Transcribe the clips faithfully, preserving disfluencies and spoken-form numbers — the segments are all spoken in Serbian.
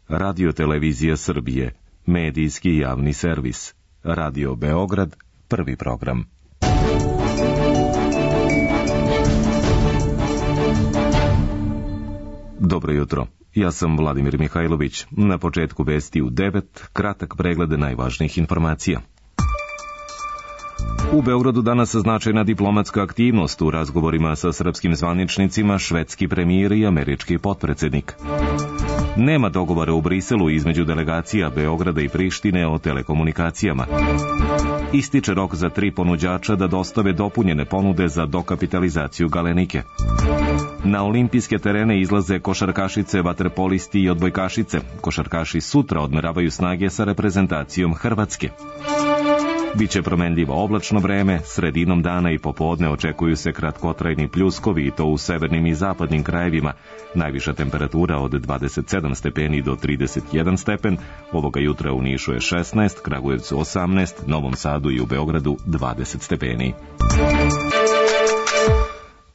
Radio-televizija Srbije, medijski javni servis. Radio Beograd, prvi program. Dobro jutro, ja sam Vladimir Mihajlović. Na početku vesti u devet, kratak pregled najvažnijih informacija. U Beogradu danas značajna diplomatska aktivnost u razgovorima sa srpskim zvaničnicima, švedski premijer i američki potpredsednik. Nema dogovora u Briselu između delegacija Beograda i Prištine o telekomunikacijama. Ističe rok za tri ponuđača da dostave dopunjene ponude za dokapitalizaciju Galenike. Na olimpijske terene izlaze košarkašice, vaterpolisti i odbojkašice. Košarkaši sutra odmeravaju snage sa reprezentacijom Hrvatske. Biće promenljivo oblačno vreme, sredinom dana i popodne očekuju se kratkotrajni pljuskovi i to u severnim i zapadnim krajevima. Najviša temperatura od dvadeset sedam stepeni do trideset jedan stepen, ovoga jutra u Nišu je šesnaest, Kragujevcu osamnaest, Novom Sadu i u Beogradu dvadeset stepeni.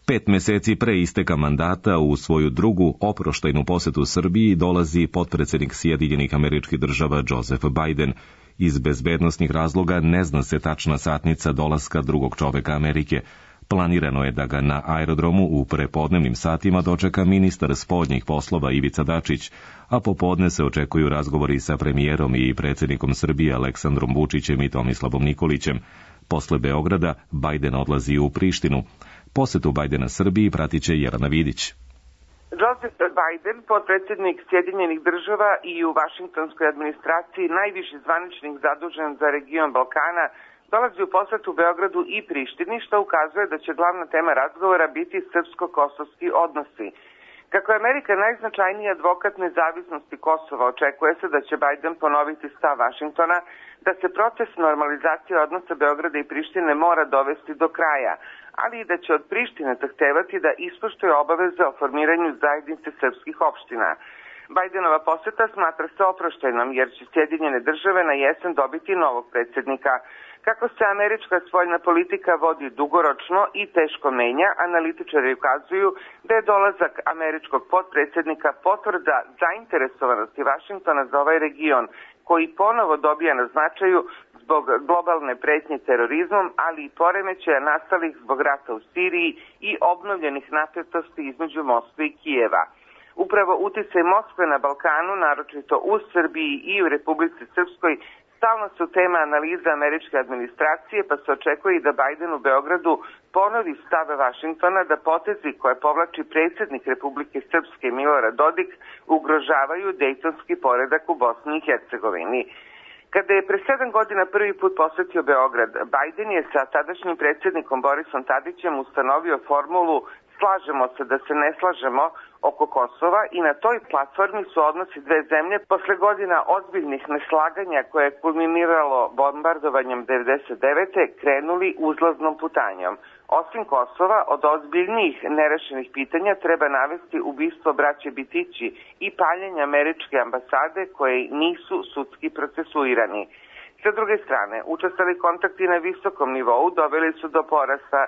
Pet meseci pre isteka mandata u svoju drugu oproštajnu posetu Srbiji dolazi potpredsednik Sjedinjenih Američkih Država Joseph Biden. Iz bezbednosnih razloga ne zna se tačna satnica dolaska drugog čoveka Amerike. Planirano je da ga na aerodromu u prepodnevnim satima dočeka ministar spoljnih poslova Ivica Dačić, a popodne se očekuju razgovori sa premijerom i predsjednikom Srbije Aleksandrom Vučićem i Tomislavom Nikolićem. Posle Beograda Biden odlazi u Prištinu. Posetu Bajdena Srbiji pratit će Jelena Vidić. Joseph Biden, potpredsjednik Sjedinjenih Država i u vašingtonskoj administraciji najviši zvaničnik zadužen za region Balkana, dolazi u posetu Beogradu i Prištini, što ukazuje da će glavna tema razgovora biti srpsko-kosovski odnosi. Kako je Amerika najznačajniji advokat nezavisnosti Kosova, očekuje se da će Biden ponoviti stav Vašingtona da se proces normalizacije odnosa Beograda i Prištine mora dovesti do kraja, ali i da će od Prištine zahtevati da ispoštuje obaveze o formiranju zajednice srpskih opština. Bajdenova poseta smatra se oproštajnom jer će Sjedinjene Države na jesen dobiti novog predsjednika. Kako se američka spoljna politika vodi dugoročno i teško menja, analitičari ukazuju da je dolazak američkog potpredsjednika potvrda zainteresovanosti Vašingtona za ovaj region, koji ponovo dobija na značaju zbog globalne pretnje terorizmom, ali i poremećaja nastalih zbog rata u Siriji i obnovljenih napetosti između Moskve i Kijeva. Upravo uticaj Moskve na Balkanu, naročito u Srbiji i u Republici Srpskoj, stalno su tema analiza američke administracije, pa se očekuje i da Biden u Beogradu ponovi stave Vašingtona da potezi koje povlači predsjednik Republike Srpske Milorad Dodik ugrožavaju dejtonski poredak u Bosni i Hercegovini. Kada je pre sedam godina prvi put posetio Beograd, Biden je sa tadašnjim predsjednikom Borisom Tadićem ustanovio formulu slažemo se da se ne slažemo oko Kosova i na toj platformi su odnosi dve zemlje posle godina ozbiljnih neslaganja koje je kulminiralo bombardovanjem devedeset devete krenuli uzlaznom putanjom. Osim Kosova, od ozbiljnijih nerešenih pitanja treba navesti ubistvo braće Bitići i paljenje američke ambasade koje nisu sudski procesuirani. Sa druge strane, učestali kontakti na visokom nivou doveli su do porasta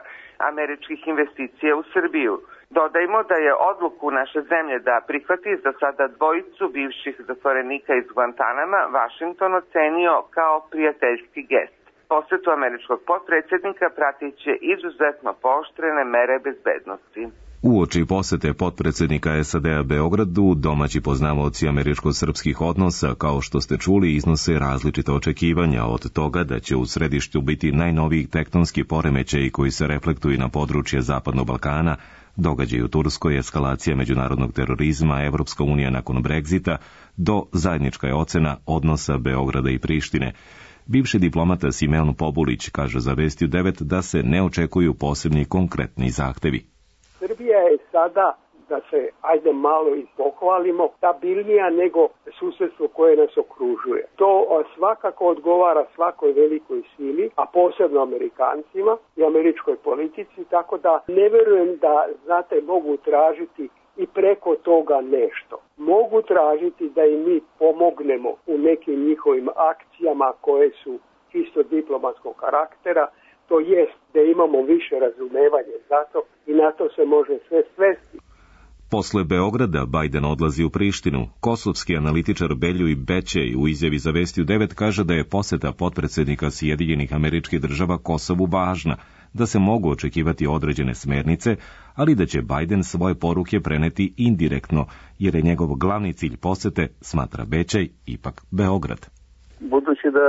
američkih investicija u Srbiju. Dodajmo da je odluku naše zemlje da prihvati za sada dvojicu bivših zatvorenika iz Guantanama Vašington ocenio kao prijateljski gest. Posetu američkog potpredsjednika pratit će izuzetno pooštrene mere bezbednosti. Uoči posete potpredsjednika S A D-a Beogradu, domaći poznavaoci američko-srpskih odnosa, kao što ste čuli, iznose različita očekivanja od toga da će u središtu biti najnoviji tektonski poremećaji koji se reflektuju na područje Zapadnog Balkana, događaj u Turskoj, eskalacija međunarodnog terorizma, Evropska unija nakon Brexita, do zajednička je ocena odnosa Beograda i Prištine. Bivši diplomata Simeon Pobulić kaže za Vesti u devet da se ne očekuju posebni konkretni zahtevi. Srbija je sada, da se ajde malo i pohvalimo, stabilnija nego susedstvo koje nas okružuje. To svakako odgovara svakoj velikoj sili, a posebno Amerikancima i američkoj politici, tako da ne verujem da, znate, mogu tražiti i preko toga nešto. Mogu tražiti da i mi pomognemo u nekim njihovim akcijama koje su čisto diplomatskog karaktera, to jest da imamo više razumevanje za to i na to se može sve svesti. Posle Beograda Bajden odlazi u Prištinu. Kosovski analitičar Beljuj Bećej u izjavi za Vesti u devet kaže da je poseta potpredsednika Sjedinjenih Američkih Država Kosovu važna, da se mogu očekivati određene smernice, ali da će Bajden svoje poruke preneti indirektno, jer je njegov glavni cilj posete, smatra Bećej, ipak Beograd. Budući da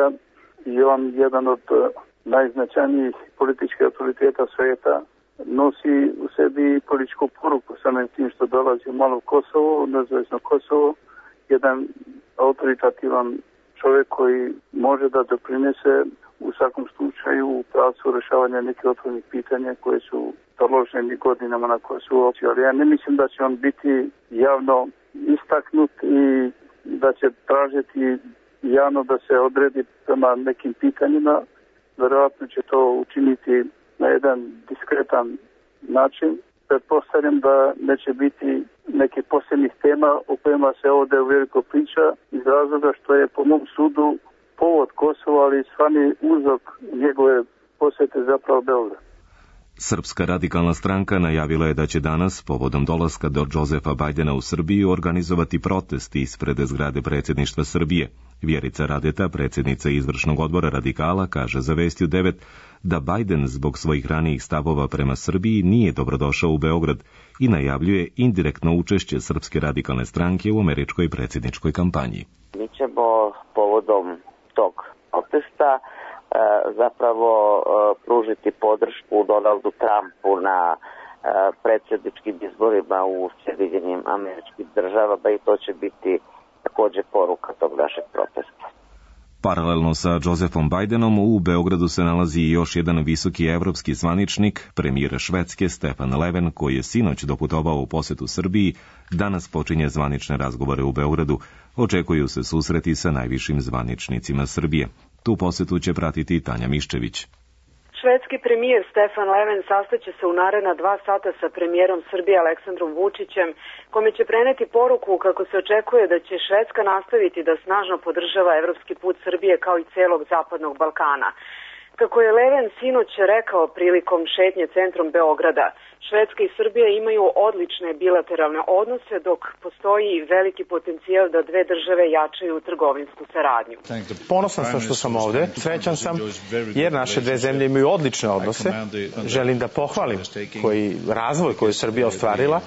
je on jedan od najznačajnijih političkih autoriteta sveta, nosi u sebi političku poruku samim tim što dolazi malo u Kosovo, nezavisno Kosovo, jedan autoritativan čovjek koji može da doprinese u svakom slučaju u pravcu rešavanja nekih otvorenih pitanja koje su taloženi godinama na Kosovu. Ali ja ne mislim da će on biti javno istaknut i da će tražiti javno da se odredi prema nekim pitanjima. Verovatno će to učiniti na jedan diskretan način. Pretpostavljam da neće biti neke posebnih tema o kojima se ovdje uveliko priča iz razloga što je po mom sudu povod Kosova, ali stvarni uzrok njegove posete zapravo Beograd. Srpska radikalna stranka najavila je da će danas, povodom dolaska do Džozefa Bajdena u Srbiju, organizovati protest ispred zgrade predsjedništva Srbije. Vjerica Radeta, predsjednica izvršnog odbora radikala, kaže za Vesti u devet da Bajden zbog svojih ranijih stavova prema Srbiji nije dobrodošao u Beograd i najavljuje indirektno učešće Srpske radikalne stranke u američkoj predsjedničkoj kampanji. Mi ćemo povodom tog protesta zapravo pružiti podršku Donaldu Trumpu na predsjedničkim izborima u Sjedinjenim Američkim Državama i to će biti također poruka tog našeg protesta. Paralelno sa Džozefom Bajdenom u Beogradu se nalazi i još jedan visoki evropski zvaničnik, premijer Švedske Stefan Löfven, koji je sinoć doputovao u posetu Srbiji, danas počinje zvanične razgovore u Beogradu. Očekuju se susreti sa najvišim zvaničnicima Srbije. Tu posetu će pratiti Tanja Miščević. Švedski premijer Stefan Löfven sastaće se u naredna dva sata sa premijerom Srbije Aleksandrom Vučićem, kome će preneti poruku kako se očekuje da će Švedska nastaviti da snažno podržava evropski put Srbije kao i celog zapadnog Balkana. Kako je Löfven sinoć rekao prilikom šetnje centrom Beograda, Švedska i Srbija imaju odlične bilateralne odnose, dok postoji veliki potencijal da dve države jačaju trgovinsku saradnju. Ponosan sam što sam ovde, srećan sam jer naše dve zemlje imaju odlične odnose. Želim da pohvalim koji razvoj koji je Srbija ostvarila.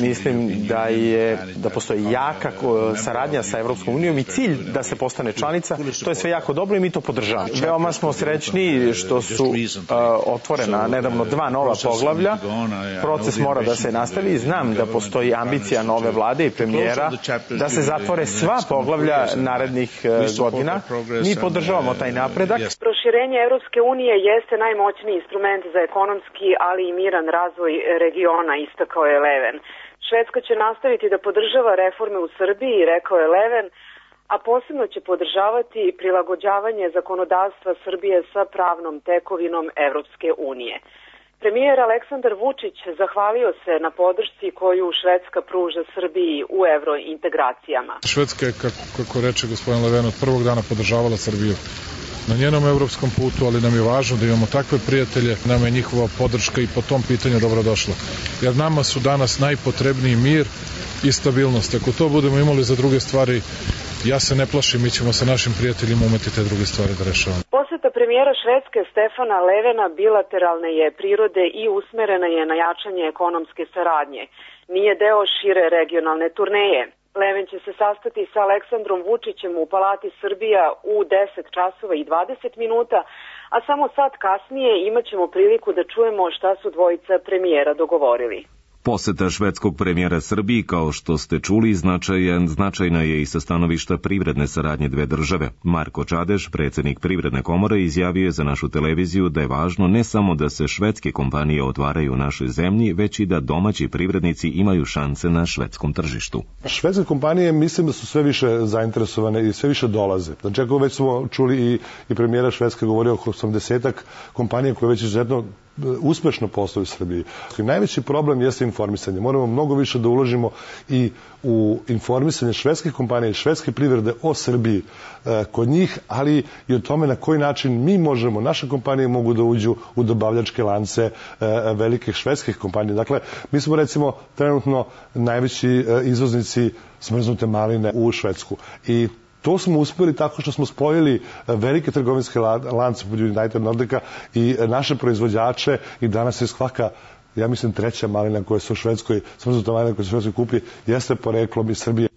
Mislim da je da postoji jaka saradnja sa Evropskom unijom i cilj da se postane članica. To je sve jako dobro i mi to podržavamo. Veoma smo srećni što su uh, otvorena nedavno dva nova poglavlja. Proces mora da se nastavi i znam da postoji ambicija nove vlade i premijera da se zatvore sva poglavlja narednih godina. Mi podržavamo taj napredak. Proširenje Evropske unije jeste najmoćniji instrument za ekonomski, ali i miran razvoj regiona, istakao je Löfven. Švedska će nastaviti da podržava reforme u Srbiji, rekao je Löfven, a posebno će podržavati prilagođavanje zakonodavstva Srbije sa pravnom tekovinom Evropske unije. Premijer Aleksandar Vučić zahvalio se na podršci koju Švedska pruža Srbiji u evrointegracijama. Švedska je, kako, kako reče gospodin Löfven, od prvog dana podržavala Srbiju na njenom evropskom putu, ali nam je važno da imamo takve prijatelje, nam je njihova podrška i po tom pitanju dobrodošla. Jer nama su danas najpotrebniji mir i stabilnost. Ako to budemo imali za druge stvari, ja se ne plašim, mi ćemo sa našim prijateljima umeti te druge stvari da rešavamo. Poseta premijera Švedske Stefana Löfvena bilateralne je prirode i usmerena je na jačanje ekonomske saradnje. Nije deo šire regionalne turneje. Löfven će se sastati sa Aleksandrom Vučićem u Palati Srbija u deset časova i dvadeset minuta, a samo sat kasnije imat ćemo priliku da čujemo šta su dvojica premijera dogovorili. Poseta švedskog premijera Srbiji, kao što ste čuli, značajan, značajna je i sa stanovišta privredne saradnje dve države. Marko Čadeš, predsjednik Privredne komore, izjavio je za našu televiziju da je važno ne samo da se švedske kompanije otvaraju u našoj zemlji, već i da domaći privrednici imaju šanse na švedskom tržištu. Švedske kompanije mislim da su sve više zainteresovane i sve više dolaze. Znači, ako već smo čuli i, i premijera Švedske govorio oko osamdesetak kompanija koje već izuzetno uspešno posluju u Srbiji. Najveći problem jeste informisanje. Moramo mnogo više da uložimo i u informisanje švedskih kompanija i švedske privrede o Srbiji kod njih, ali i o tome na koji način mi možemo, naše kompanije mogu da uđu u dobavljačke lance velikih švedskih kompanija. Dakle, mi smo recimo trenutno najveći izvoznici smrznute maline u Švedsku. I to smo uspeli tako što smo spojili velike trgovinske lance pod United Nordica i naše proizvođače i danas je svaka, ja mislim, treća malina koja se u Švedskoj, smrznuta malina koja se u Švedskoj kupi, jeste poreklom iz Srbije.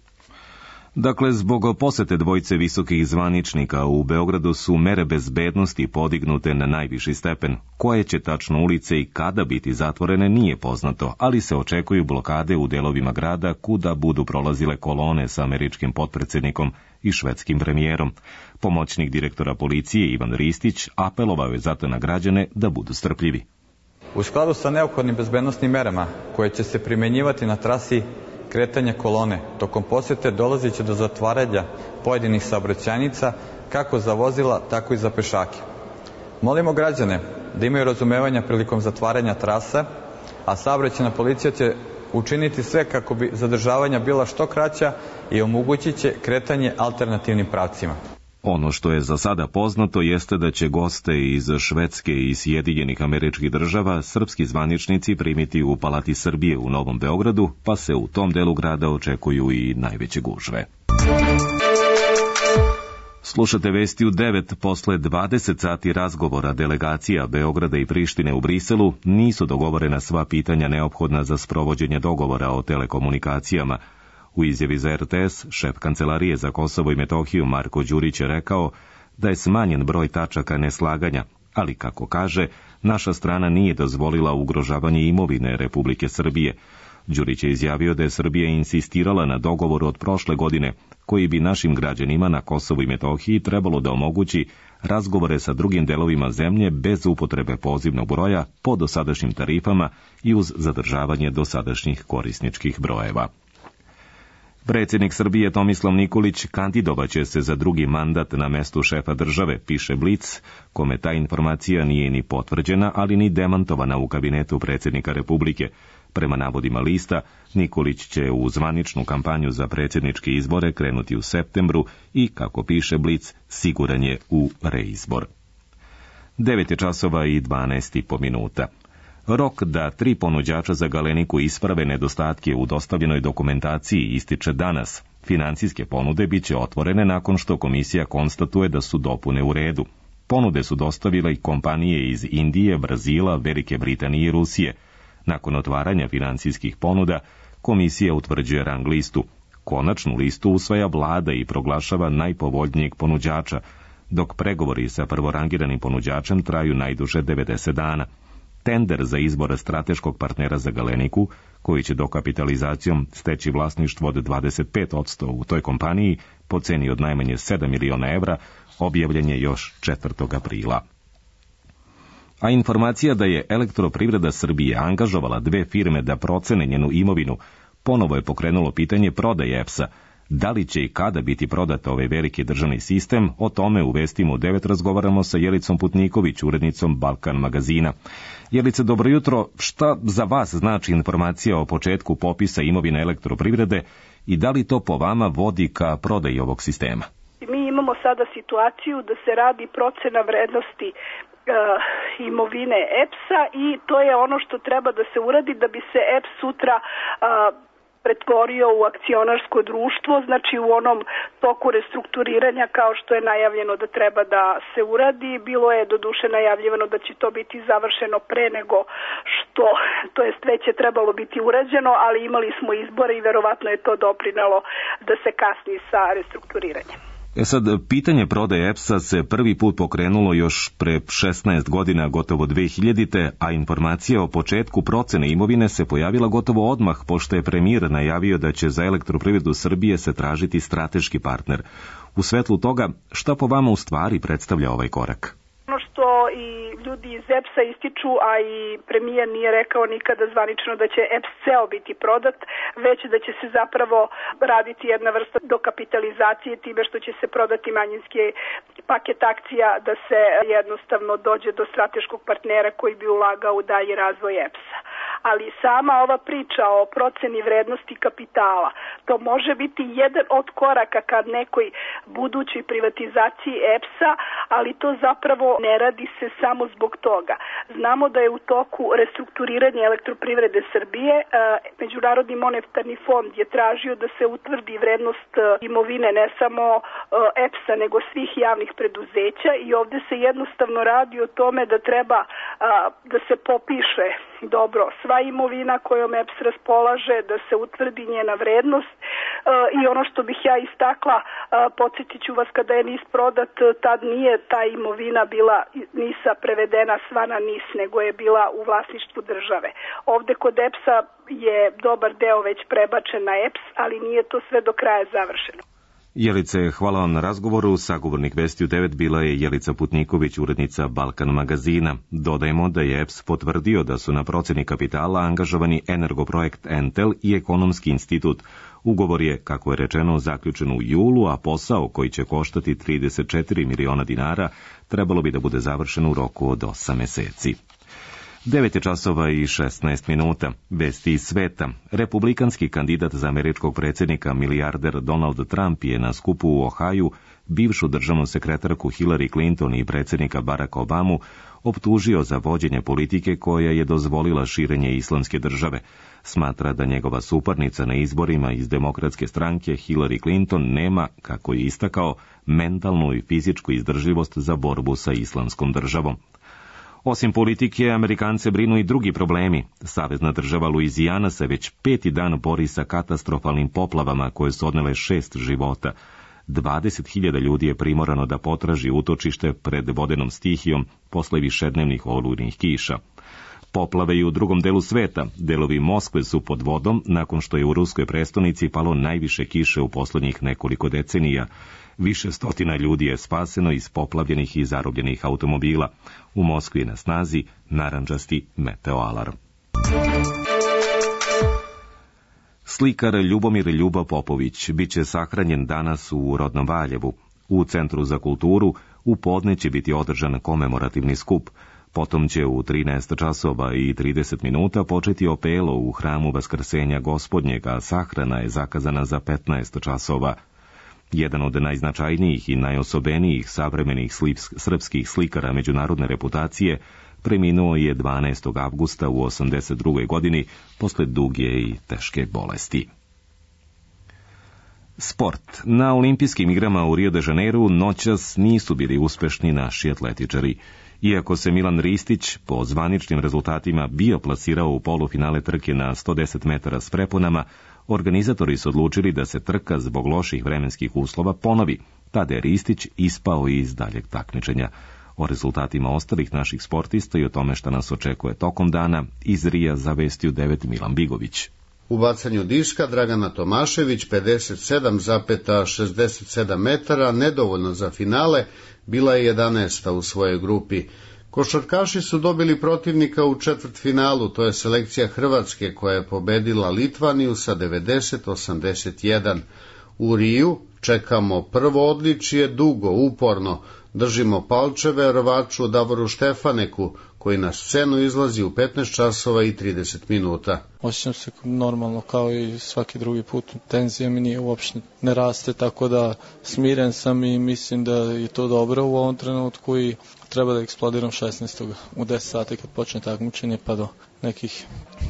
Dakle, zbog posete dvojice visokih zvaničnika u Beogradu su mere bezbednosti podignute na najviši stepen. Koje će tačno ulice i kada biti zatvorene nije poznato, ali se očekuju blokade u delovima grada kuda budu prolazile kolone sa američkim potpredsednikom i švedskim premijerom. Pomoćnik direktora policije Ivan Ristić apelovao je zato na građane da budu strpljivi. U skladu sa neophodnim bezbednosnim merama koje će se primenjivati na trasi kretanja kolone, tokom posete dolazit će do zatvaranja pojedinih saobraćajnica kako za vozila, tako i za pešake. Molimo građane da imaju razumevanja prilikom zatvaranja trasa, a saobraćajna policija će učiniti sve kako bi zadržavanja bila što kraća i omogućit će kretanje alternativnim pravcima. Ono što je za sada poznato jeste da će goste iz Švedske i Sjedinjenih Američkih Država srpski zvaničnici primiti u Palati Srbije u Novom Beogradu, pa se u tom delu grada očekuju i najveće gužve. Slušate vesti u devet. Posle dvadeset sati razgovora delegacija Beograda i Prištine u Briselu nisu dogovorena sva pitanja neophodna za sprovođenje dogovora o telekomunikacijama. U izjavi za R T S, šef Kancelarije za Kosovo i Metohiju Marko Đurić je rekao da je smanjen broj tačaka neslaganja, ali kako kaže, naša strana nije dozvolila ugrožavanje imovine Republike Srbije. Đurić je izjavio da je Srbija insistirala na dogovoru od prošle godine, koji bi našim građanima na Kosovu i Metohiji trebalo da omogući razgovore sa drugim delovima zemlje bez upotrebe pozivnog broja po dosadašnjim tarifama i uz zadržavanje dosadašnjih korisničkih brojeva. Predsjednik Srbije Tomislav Nikolić kandidovaće se za drugi mandat na mestu šefa države, piše Blic, kome ta informacija nije ni potvrđena, ali ni demantovana u kabinetu predsjednika Republike. Prema navodima lista, Nikolić će u zvaničnu kampanju za predsjedničke izbore krenuti u septembru i, kako piše Blic, siguran je u reizbor. devet je časova i dvanaest i po minuta. Rok da tri ponuđača za Galeniku isprave nedostatke u dostavljenoj dokumentaciji ističe danas. Financijske ponude biće otvorene nakon što komisija konstatuje da su dopune u redu. Ponude su dostavile i kompanije iz Indije, Brazila, Velike Britanije i Rusije. Nakon otvaranja financijskih ponuda, komisija utvrđuje rang listu. Konačnu listu usvaja vlada i proglašava najpovoljnijeg ponuđača, dok pregovori sa prvorangiranim ponuđačem traju najduže devedeset dana. Tender za izbor strateškog partnera za Galeniku, koji će dokapitalizacijom steći vlasništvo od dvadeset pet posto u toj kompaniji po ceni od najmanje sedam miliona evra, objavljen je još četvrtog aprila. A informacija da je Elektroprivreda Srbije angažovala dve firme da procene njenu imovinu, ponovo je pokrenulo pitanje prodaje E P S-a. Da li će i kada biti prodat ovaj veliki državni sistem, o tome u Vestima u devet razgovaramo sa Jelicom Putniković, urednicom Balkan magazina. Jelice, dobro jutro. Šta za vas znači informacija o početku popisa imovine Elektroprivrede i da li to po vama vodi ka prodaji ovog sistema? Mi imamo sada situaciju da se radi procena vrednosti Uh, imovine E P S-a i to je ono što treba da se uradi da bi se E P S sutra uh, pretvorio u akcionarsko društvo, znači u onom toku restrukturiranja kao što je najavljeno da treba da se uradi. Bilo je doduše najavljivano da će to biti završeno pre nego što, to jest već je trebalo biti urađeno, ali imali smo izbore i verovatno je to doprinelo da se kasni sa restrukturiranjem. E sad, pitanje prodaje E P S-a se prvi put pokrenulo još pre šesnaest godina, gotovo dve hiljadite, a informacija o početku procene imovine se pojavila gotovo odmah, pošto je premijer najavio da će za Elektroprivredu Srbije se tražiti strateški partner. U svetlu toga, šta po vama u stvari predstavlja ovaj korak? Ono što i ljudi iz E P S-a ističu, a i premijer nije rekao nikada zvanično da će E P S ceo biti prodat, već da će se zapravo raditi jedna vrsta dokapitalizacije time što će se prodati manjinske paket akcija da se jednostavno dođe do strateškog partnera koji bi ulagao u dalji razvoj E P S-a. Ali sama ova priča o proceni vrednosti kapitala, to može biti jedan od koraka kad nekoj budućoj privatizaciji E P S-a, ali to zapravo ne radi se samo zbog toga. Znamo da je u toku restrukturiranje Elektroprivrede Srbije. Međunarodni monetarni fond je tražio da se utvrdi vrednost imovine ne samo E P S-a nego svih javnih preduzeća i ovde se jednostavno radi o tome da treba da se popiše dobro sva imovina kojom E P S raspolaže, da se utvrdi njena vrednost i ono što bih ja istakla, podsjetit ću vas kada je N I S prodat, tad nije ta imovina bila N I S-a prevedena sva na N I S, nego je bila u vlasništvu države. Ovde kod E P S-a je dobar deo već prebačen na E P S, ali nije to sve do kraja završeno. Jelice, hvala vam na razgovoru. Sagovornik Vesti u devet bila je Jelica Putniković, urednica Balkan magazina. Dodajemo da je E P S potvrdio da su na proceni kapitala angažovani Energoprojekt Entel i Ekonomski institut. Ugovor je, kako je rečeno, zaključen u julu, a posao koji će koštati trideset četiri miliona dinara trebalo bi da bude završen u roku od osam meseci. devet je časova i šesnaest minuta. Vesti iz sveta. Republikanski kandidat za američkog predsjednika milijarder Donald Trump je na skupu u Ohaju bivšu državnu sekretarku Hillary Clinton i predsjednika Baracka Obamu optužio za vođenje politike koja je dozvolila širenje islamske države. Smatra da njegova suparnica na izborima iz demokratske stranke Hillary Clinton nema, kako je istakao, mentalnu i fizičku izdržljivost za borbu sa islamskom državom. Osim politike, Amerikance brinu i drugi problemi. Savezna država Luizijana se već peti dan bori sa katastrofalnim poplavama koje su odnele šest života. dvadeset hiljada ljudi je primorano da potraži utočište pred vodenom stihijom posle višednevnih olujnih kiša. Poplave i u drugom delu sveta. Delovi Moskve su pod vodom nakon što je u ruskoj prestonici palo najviše kiše u poslednjih nekoliko decenija. Više stotina ljudi je spaseno iz poplavljenih i zarobljenih automobila. U Moskvi je na snazi narandžasti meteoalarm. Slikar Ljubomir Ljuba Popović biće sahranjen danas u rodnom Valjevu. U Centru za kulturu u podne će biti održan komemorativni skup. Potom će u trinaest časova i trideset minuta početi opelo u hramu Vaskrsenja Gospodnjeg, a sahrana je zakazana za petnaest časova. Jedan od najznačajnijih i najosobenijih savremenih srpskih slikara međunarodne reputacije preminuo je dvanaestog avgusta u osamdeset drugoj godini posle duge i teške bolesti. Sport. Na olimpijskim igrama u Rio de Janeiru noćas nisu bili uspešni naši atletičari. Iako se Milan Ristić po zvaničnim rezultatima bio plasirao u polufinale trke na sto deset metara s preponama, organizatori su odlučili da se trka zbog loših vremenskih uslova ponovi. Tada je Ristić ispao iz daljeg takmičenja. O rezultatima ostalih naših sportista i o tome šta nas očekuje tokom dana iz Rija za Vesti u devet Milan Bigović. U bacanju diska Dragana Tomašević pedeset sedam zarez šezdeset sedam metara, nedovoljno za finale, bila je jedanaesta u svojoj grupi. Košarkaši su dobili protivnika u četvrtfinalu, to je selekcija Hrvatske koja je pobedila Litvaniju sa devedeset osamdeset jedan. U Riju čekamo prvo odličje dugo, uporno. Držimo palčeve rvaču Davoru Štefaneku, koji na scenu izlazi u petnaest časova i trideset minuta. Osjećam se normalno kao i svaki drugi put. Tenzija mi nije uopšte ne raste, tako da smiren sam i mislim da je to dobro u ovom trenutku i treba da eksplodiram šesnaestog u deset sati kad počne takmičenje pa do nekih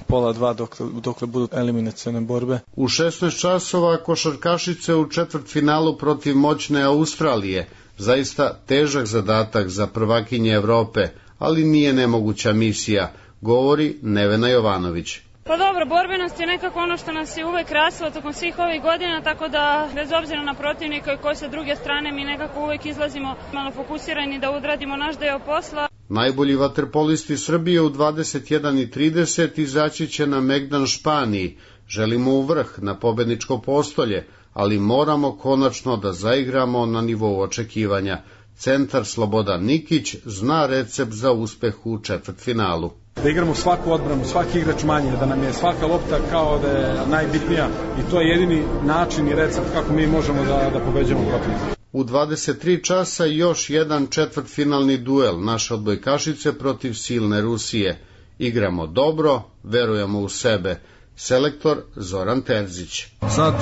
pola dva dokle, dokle budu eliminacione borbe. U šesnaest časova košarkašice u četvrtfinalu protiv moćne Australije. Zaista težak zadatak za prvakinje Evrope, ali nije nemoguća misija, govori Nevena Jovanović. Pa dobro, borbenost je nekako ono što nas je uvek krasilo tokom svih ovih godina, tako da bez obzira na protivnika i koji sa druge strane mi nekako uvek izlazimo malo fokusirani da odradimo naš deo posla. Najbolji vaterpolisti Srbije u dvadeset jedan i trideset izaći će na Megdan Španiji. Želimo u vrh, na pobedničko postolje, ali moramo konačno da zaigramo na nivou očekivanja. Centar Slobodan Nikić zna recept za uspeh u četvrtfinalu. Da igramo svaku odbranu, svaki igrač manje, da nam je svaka lopta kao da je najbitnija i to je jedini način i recept kako mi možemo da, da pobeđamo protivnika. U dvadeset tri časa još jedan četvrtfinalni duel naše odbojkašice protiv silne Rusije. Igramo dobro, verujemo u sebe. Selektor Zoran Terzić. Sad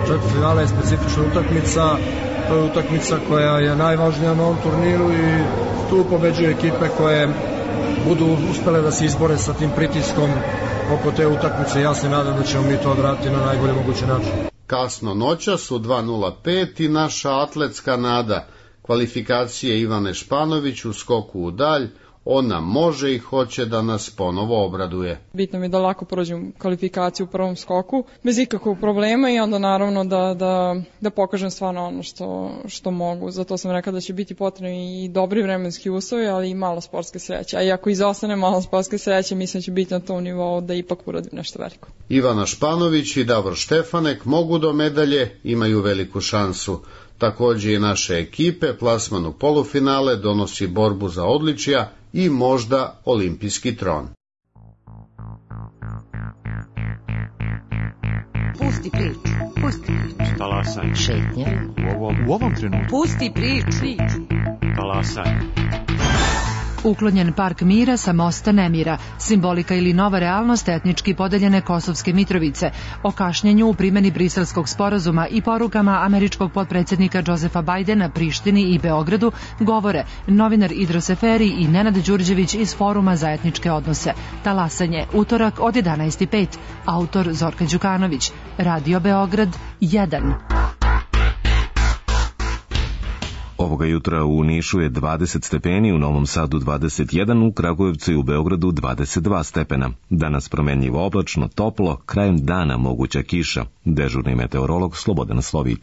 četvrtfinale je specifična utakmica, to je utakmica koja je najvažnija na ovom turniru i tu pobeđuju ekipe koje budu uspele da se izbore sa tim pritiskom oko te utakmice. Ja se nadam da ćemo mi to odraditi na najbolji mogući način. Kasno noćas u dva nula pet i naša atletska nada. Kvalifikacije Ivane Španović u skoku u dalj. Ona može i hoće da nas ponovo obraduje. Bitno mi je da lako prođem kvalifikaciju u prvom skoku, bez ikakvog problema i onda naravno da, da, da pokažem stvarno ono što, što mogu. Zato sam rekla da će biti potrebni i dobri vremenski uslovi, ali i malo sportske sreće. A i ako izostane malo sportske sreće, mislim da će biti na tom nivou da ipak uradim nešto veliko. Ivana Španović i Davor Štefanek mogu do medalje, imaju veliku šansu. Takođe i naše ekipe plasman u polufinale donosi borbu za odličja i možda olimpijski tron. Pusti priču, pusti priču. Talasaj. Šetnje. U ovom, u ovom trenutku. Pusti priču. Talasaj. Uklonjen park mira sa mosta nemira, simbolika ili nova realnost etnički podeljene Kosovske Mitrovice, o kašnjenju u primjeni Briselskog sporazuma i porukama američkog potpredsjednika Josefa Bajdena Prištini i Beogradu govore novinar Idro Seferi i Nenad Đurđević iz Foruma za etničke odnose. Talasanje, utorak od jedanaest i pet, autor Zorka Đukanović, Radio Beograd jedan. Ovoga jutra u Nišu je dvadeset stepeni, u Novom Sadu dvadeset jedan, u Kragujevcu i u Beogradu dvadeset dva stepena. Danas promenljivo oblačno, toplo, krajem dana moguća kiša. Dežurni meteorolog Slobodan Slovilj.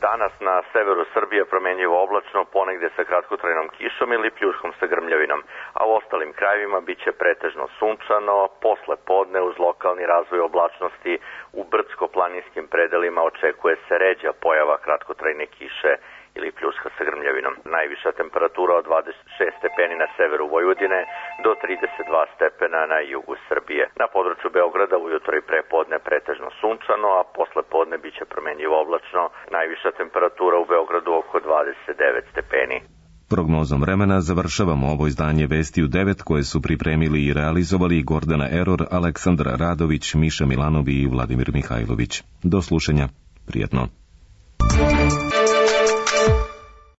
Danas na severu Srbije promenljivo oblačno, ponegde sa kratkotrajnom kišom ili pljuškom sa grmljavinom, a u ostalim krajevima biće pretežno sunčano, posle podne uz lokalni razvoj oblačnosti u brdsko-planinskim predelima očekuje se ređa pojava kratkotrajne kiše ili pljuska sa grmljavinom. Najviša temperatura od dvadeset šest stepeni na severu Vojvodine do trideset dva stepena na jugu Srbije. Na području Beograda ujutro i prepodne pretežno sunčano, a posle podne biće promenljivo oblačno. Najviša temperatura u Beogradu oko dvadeset devet stepeni. Prognozom vremena završavamo ovo izdanje Vesti u devet koje su pripremili i realizovali Gordana Eror, Aleksandra Radović, Miša Milanovi i Vladimir Mihajlović. Do slušanja. Prijetno.